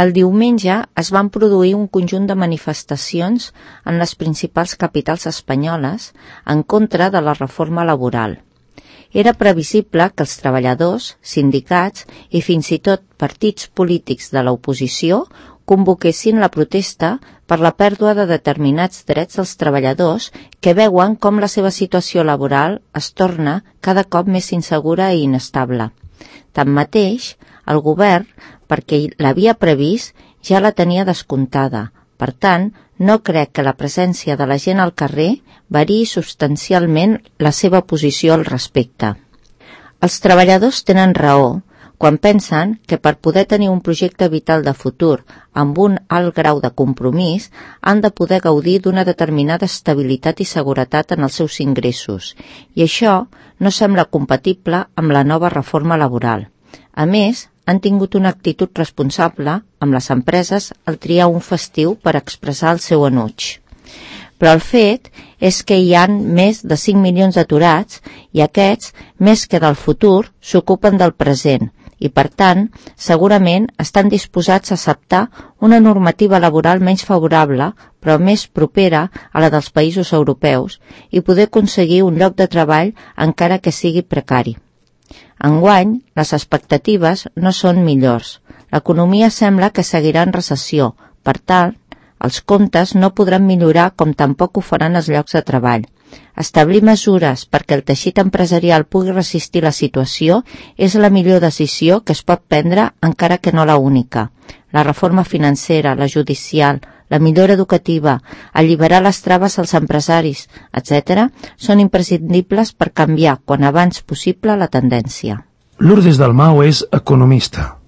El diumenge es van produir un conjunt de manifestacions en les principals capitals espanyoles en contra de la reforma laboral. Era previsible que els treballadors, sindicats i fins i tot partits polítics de l'oposició convoquessin la protesta per la pèrdua de determinats drets dels treballadors que veuen com la seva situació laboral es torna cada cop més insegura i inestable. Tanmateix, el govern, perquè l'havia previst, ja la tenia descomptada. Per tant, no crec que la presència de la gent al carrer variï substancialment la seva posició al respecte. Els treballadors tenen raó quan pensen que per poder tenir un projecte vital de futur amb un alt grau de compromís han de poder gaudir d'una determinada estabilitat i seguretat en els seus ingressos, i això no sembla compatible amb la nova reforma laboral. A més, han tingut una actitud responsable amb les empreses al triar un festiu per expressar el seu enuig. Però el fet és que hi ha més de 5 milions d'aturats i aquests, més que del futur, s'ocupen del present i, per tant, segurament estan disposats a acceptar una normativa laboral menys favorable, però més propera a la dels països europeus i poder aconseguir un lloc de treball encara que sigui precari. Enguany, les expectatives no són millors. L'economia sembla que seguirà en recessió. Per tant, els comptes no podran millorar com tampoc ho faran els llocs de treball. Establir mesures perquè el teixit empresarial pugui resistir la situació és la millor decisió que es pot prendre, encara que no la única. La reforma financera, la judicial, la millora educativa, alliberar les traves als empresaris, etc., són imprescindibles per canviar quan abans possible la tendència. Lourdes Dalmau és economista.